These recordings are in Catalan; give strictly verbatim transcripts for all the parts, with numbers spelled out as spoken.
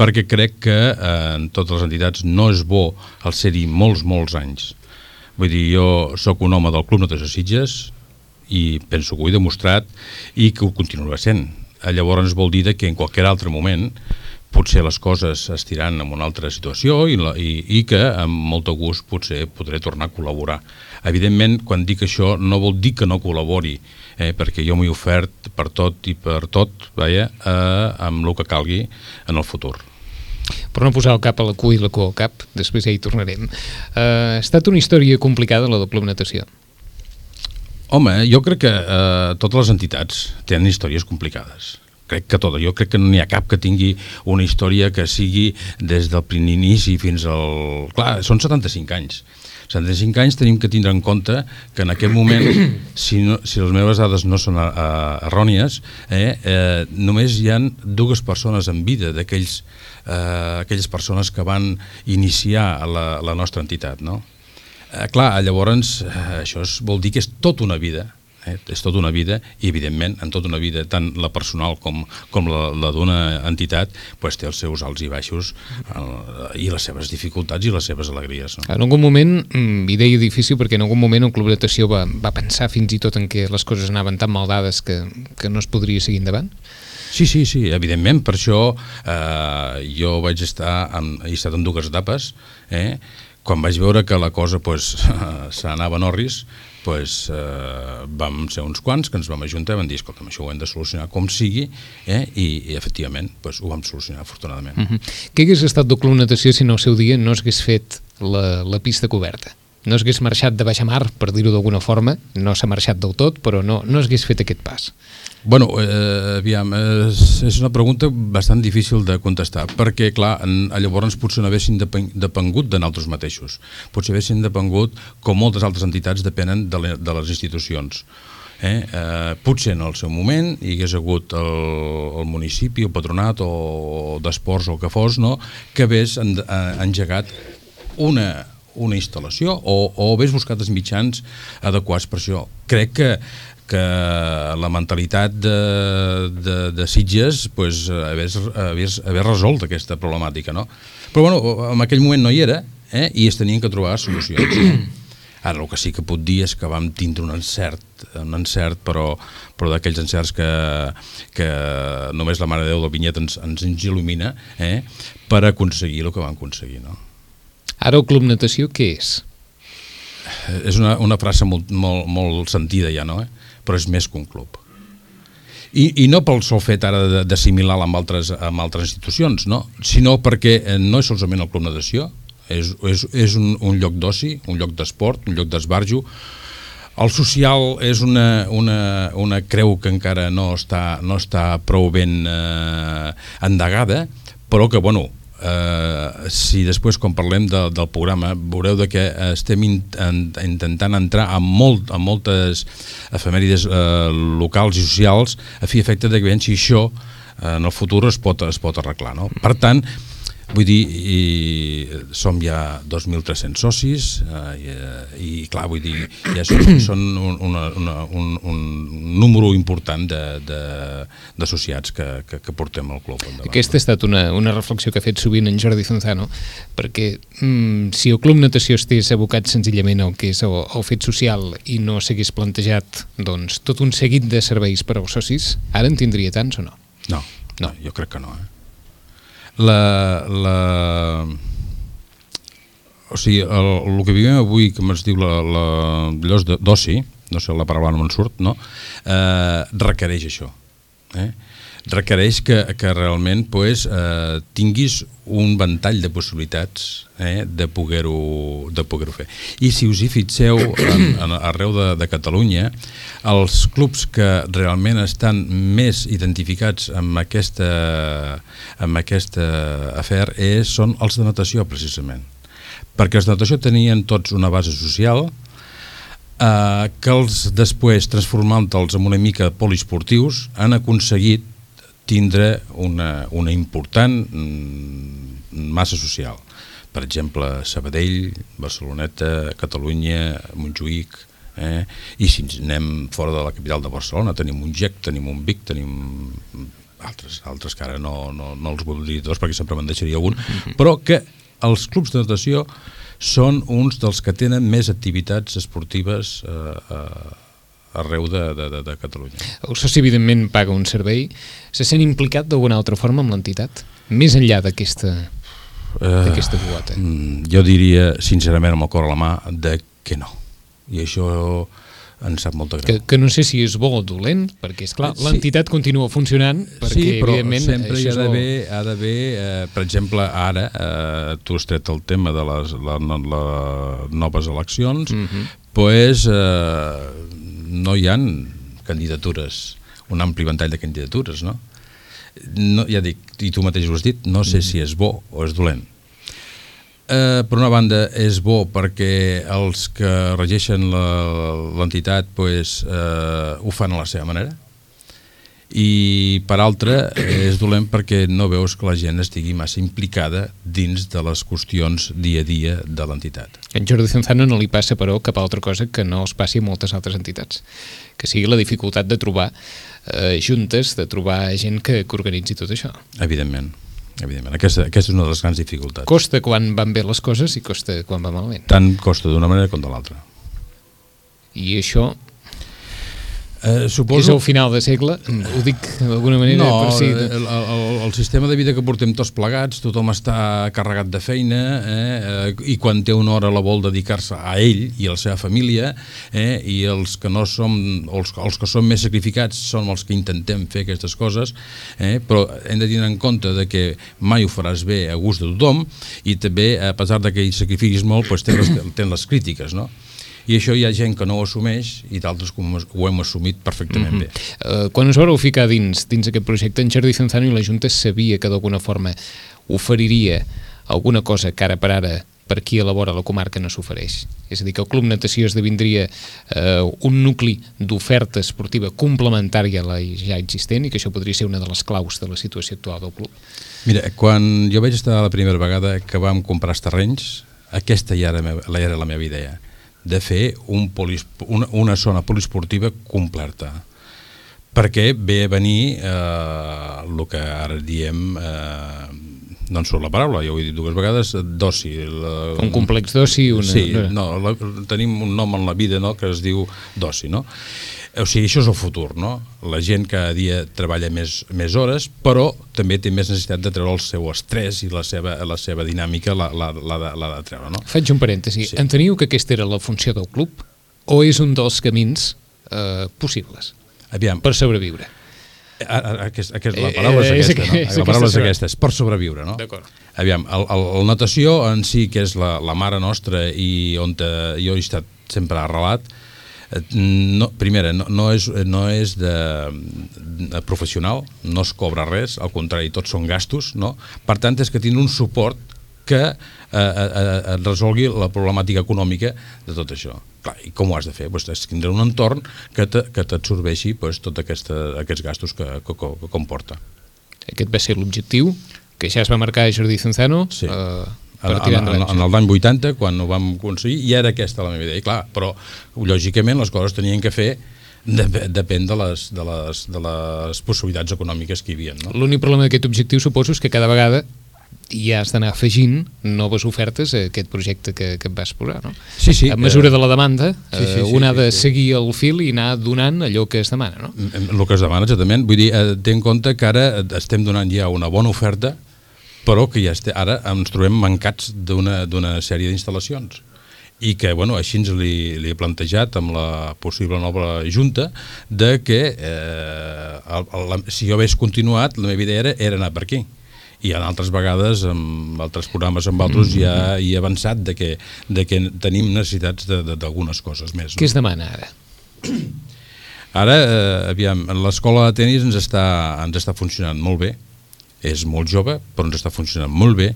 perquè crec que eh, en totes les entitats no és bo el ser-hi molts, molts anys. Vull dir, jo sóc un home del Club Natació Sitges i penso que ho he demostrat i que ho continuarà sent. Llavors vol dir que en qualsevol altre moment potser les coses es tiran en una altra situació i, la, i, i que amb molt de gust potser podré tornar a col·laborar. Evidentment, quan dic això no vol dir que no col·labori, eh, perquè jo m'he ofert per tot i per tot, vaja, eh, amb el que calgui en el futur. Per no posar el cap a la cua i la cua al cap, després ja hi tornarem. Uh, ha estat una història complicada, la del Club Natació? Home, jo crec que eh, totes les entitats tenen històries complicades. Crec que tota. Jo crec que no n'hi ha cap que tingui una història que sigui des del primer inici fins al... Clar, són setanta-cinc anys. setanta-cinc anys tenim que tindre en compte que en aquest moment, si, no, si les meves dades no són uh, errònies, eh, eh, només hi ha dues persones en vida d'aquells eh, aquelles persones que van iniciar la, la nostra entitat, no? Eh, clar, llavors eh, això és, vol dir que és tota una vida, eh, és tota una vida i evidentment en tota una vida, tant la personal com, com la, la d'una entitat, pues, té els seus alts i baixos eh, i les seves dificultats i les seves alegries, no? En algun moment, i deia difícil perquè en algun moment el Club Natació va, va pensar fins i tot en què les coses anaven tan mal dades que, que no es podria seguir endavant? Sí, sí, sí, evidentment, per això eh, jo vaig estar en, he estat en dues etapes, eh? Quan vaig veure que la cosa pues, s'anava en orris, pues, eh, vam ser uns quants que ens vam ajuntar i vam dir, escolta, això ho hem de solucionar com sigui, eh? I, i efectivament pues, ho vam solucionar afortunadament. Uh -huh. Què hagués estat del Club Natació si no al seu dia no s'hagués fet la, la pista coberta? No s'hagués marxat de baixa mar, per dir-ho d'alguna forma, no s'ha marxat del tot, però no, no s'hagués fet aquest pas. Bueno, eh, aviam, és, és una pregunta bastant difícil de contestar, perquè, clar, en, llavors potser no haguessin depengut de nosaltres mateixos. Potser haguessin depengut, com moltes altres entitats, depenen de, le, de les institucions. Eh? Eh, potser en el seu moment hi hagués hagut el, el municipi, el patronat o d'esports o el que fos, no? Que hagués en, en, engegat una... una instal·lació o, o hagués buscat els mitjans adequats per això. Crec que, que la mentalitat de, de, de Sitges pues, hagués, hagués, hagués resolt aquesta problemàtica, no? Però bueno, en aquell moment no hi era, eh? I es tenien que trobar solucions. Ara el que sí que puc dir és que vam tindre un encert, un encert però, però d'aquells encerts que, que només la Mare de Déu del Vinyet ens, ens il·lumina, eh? Per aconseguir el que vam aconseguir, no? Ara el Club Natació què és? És una, una frase molt, molt, molt sentida ja, no? Eh? Però és més que un club. I, i no pel sol fet ara d'assimilar-la amb, altres, amb altres institucions, no? Sinó perquè no és solament el Club Natació, és, és, és un, un lloc d'oci, un lloc d'esport, un lloc d'esbarjo. El social és una, una, una creu que encara no està, no està prou ben eh, endegada, però que, bueno, Uh, si després quan parlem de, del programa veureu de que estem in, en, intentant entrar en, molt, en moltes efemèrides uh, locals i socials a fi efecte de que veiem si això uh, en el futur es pot, es pot arreglar, no? Per tant, vull dir, i som ja dos mil tres-cents socis uh, i, i clar, vull dir, ja són, són un, una, una, un, un número important d'associats que, que, que portem al club endavant. Aquesta ha estat una, una reflexió que ha fet sovint en Jordi Zonzano, perquè mm, si el Club Natació estigués abocat senzillament al que és el, el fet social i no s'hagués plantejat doncs, tot un seguit de serveis per als socis, ara en tindria tants o no? No, no, jo crec que no, eh? La, la... O sigui, el, el que vivim avui, que es diu la, la llocs d'oci, no sé, la paraula no me'n surt, no? Eh, requereix això, eh? Requereix que, que realment pues, eh, tinguis un ventall de possibilitats eh, de poder-ho de poder-ho fer. I si us hi fixeu en, en, arreu de, de Catalunya, els clubs que realment estan més identificats amb aquesta, amb aquesta afer és, són els de natació, precisament. Perquè els de natació tenien tots una base social eh, que els després, transformant-los en una mica poliesportius, han aconseguit tindre una, una important massa social. Per exemple, Sabadell, Barceloneta, Catalunya, Montjuïc, eh? I si ens anem fora de la capital de Barcelona, tenim un Gec, tenim un Vic, tenim altres, altres que ara no, no, no els vull dir tots perquè sempre me'n deixaria algun, mm-hmm. però que els clubs de natació són uns dels que tenen més activitats esportives eh, eh, arreu de, de, de, de Catalunya. El soci, evidentment, paga un servei. Se sent implicat d'alguna altra forma amb l'entitat? Més enllà d'aquesta d'aquesta quota? Uh, jo diria, sincerament, amb el cor a la mà, de que no. I això em sap molt de greu. Que, que no sé si és bo o dolent, perquè, esclar, sí. l'entitat continua funcionant, perquè, sí, però evidentment, sempre hi ha d'haver, ha d'haver eh, per exemple, ara, eh, tu has tret el tema de les la, la, la noves eleccions, mm-hmm. pues, eh, no hi ha candidatures, un ampli ventall de candidatures, no? no? Ja dic, i tu mateix ho has dit, no sé mm. si és bo o és dolent. Eh, per una banda, és bo perquè els que regeixen l'entitat pues, eh, ho fan a la seva manera, i per altra és dolent perquè no veus que la gent estigui massa implicada dins de les qüestions dia a dia de l'entitat. En Jordi Zonzano no li passa, però, cap altra cosa que no els passi a moltes altres entitats, que sigui la dificultat de trobar eh, juntes, de trobar gent que, que organitzi tot això. Evidentment, evidentment. Aquesta, aquesta és una de les grans dificultats. Costa quan van bé les coses i costa quan va malament. Tant costa d'una manera com de l'altra. I això... Eh, suposo... És el final de segle, ho dic d'alguna manera no, per si... el, el, el sistema de vida que portem tots plegats, tothom està carregat de feina, eh, i quan té una hora la vol dedicar-se a ell i a la seva família, eh, i els que no som, els, els que som més sacrificats són els que intentem fer aquestes coses, eh, però hem de tenir en compte de que mai ho faràs bé a gust de tothom, i també, a pesar de que hi sacrifiquis molt, pues, tens, les, tens les crítiques, no? I això hi ha gent que no ho assumeix i d'altres que ho hem assumit perfectament mm-hmm. bé. Uh, quan us vareu ficar dins, dins aquest projecte, en Jordi Zonzano i la Junta sabia que d'alguna forma oferiria alguna cosa que ara per ara per qui elabora la comarca no s'ofereix. És a dir, que el Club Natació esdevindria uh, un nucli d'oferta esportiva complementària a la ja existent i que això podria ser una de les claus de la situació actual del club. Mira, quan jo vaig estar la primera vegada que vam comprar els terrenys, aquesta ja era, ja era la meva idea, de fer un polis, una, una zona poliesportiva completa, perquè ve a venir eh, el que ara diem, eh, no en surt la paraula, ja ho he dit dues vegades, d'oci. Un complex d'oci? Una... Sí, no, la, tenim un nom en la vida, no?, que es diu d'oci, no? O sigui, això és el futur, no? La gent cada dia treballa més, més hores, però també té més necessitat de treure el seu estrès i la seva, la seva dinàmica l'ha de, de treure, no? Faig un parèntesi. Sí. Enteniu que aquesta era la funció del club o és un dels camins eh, possibles Aviam. per sobreviure? Aquest, aquest, la paraula és aquesta, no? La paraula és aquesta, és per sobreviure, no? D'acord. Aviam, el, el, el natació en si, que és la, la mare nostra i on te, jo he estat sempre arrelat, no, primera, no, no és, no és de, de professional, no es cobra res, al contrari, tots són gastos, no? Per tant, és que tindre un suport que eh, eh, resolgui la problemàtica econòmica de tot això. Clar, i com ho has de fer? Pues, és tindre un entorn que t'absorbeixi pues, tots aquesta, aquests gastos que, que, que comporta. Aquest va ser l'objectiu que ja es va marcar Jordi Zonzano. Sí. Eh, En, en, en, en l'any vuitanta, quan ho vam aconseguir, i era aquesta la meva idea. I clar, però lògicament les coses tenien que fer de, depèn de les, de, les, de les possibilitats econòmiques que hi havia. No? L'únic problema d'aquest objectiu suposo és que cada vegada ja has d'anar afegint noves ofertes a aquest projecte que, que et vas posar, no? Sí, sí. A mesura de la demanda, sí, sí, sí, un ha de sí, sí. seguir el fil i anar donant allò que es demana, no? El que es demana, exactament. Vull dir, té en compte que ara estem donant ja una bona oferta, però que ja este, ara ens trobem mancats d'una sèrie d'instal·lacions i que, bueno, així ens li, li he plantejat amb la possible nova junta de que eh, el, el, si jo hagués continuat, la meva idea era, era anar per aquí. I en altres vegades, amb altres programes, amb altres, ja hi he avançat de que, de que tenim necessitats d'algunes coses més. Què es demana ara? Ara, eh, aviam, l'escola de tenis ens està, ens està funcionant molt bé. És molt jove, però ens està funcionant molt bé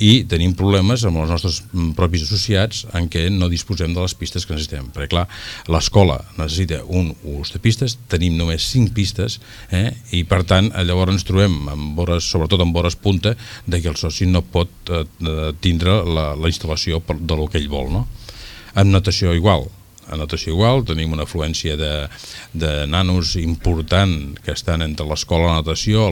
i tenim problemes amb els nostres propis associats en què no disposem de les pistes que necessitem. Perquè, clar, l'escola necessita un ús de pistes, tenim només cinc pistes, eh? I per tant, llavors ens trobem, amb hores, sobretot amb hores punta, de que el soci no pot eh, tindre la, la instal·lació de lo que ell vol, no? Amb natació igual. a natació igual, tenim una afluència de, de nanos important que estan entre l'escola de natació,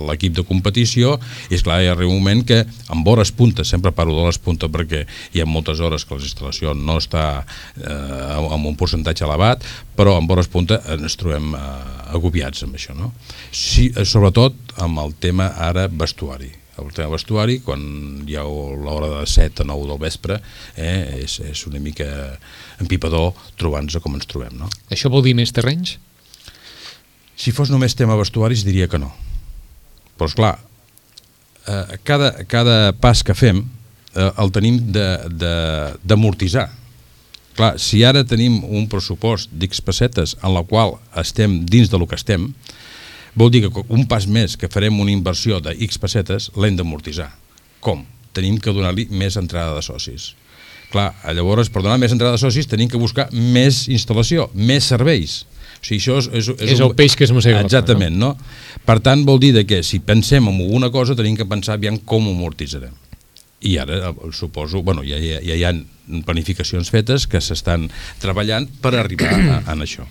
l'equip de competició, i esclar, hi arriba un moment que amb hores punta, sempre parlo d'hores punta perquè hi ha moltes hores que la instal·lació no està eh, amb un percentatge elevat, però amb hores punta ens trobem eh, agobiats amb això, no? Sí, sobretot amb el tema ara vestuari. El tema vestuari, quan hi ha l'hora de set a nou del vespre, eh, és, és una mica empipador trobar-nos com ens trobem, no? Això vol dir més terrenys? Si fos només tema vestuaris diria que no. Però esclar, eh, cada, cada pas que fem eh, el tenim d'amortitzar. Clar, si ara tenim un pressupost d'X pessetes en la qual estem dins de lo que estem, vol dir que un pas més que farem una inversió de X pessetes l'hem d'amortitzar. Com? Tenim que donar-li més entrada de socis. Clar, llavors, per donar més entrada de socis tenim que buscar més instal·lació, més serveis. O sigui, això és, és, és, és el un... peix que es mossega. Exactament, no? Per tant, vol dir que si pensem en alguna cosa tenim que pensar aviam com ho amortitzarem. I ara suposo, bueno, ja, ja, ja hi ha planificacions fetes que s'estan treballant per arribar a, a això.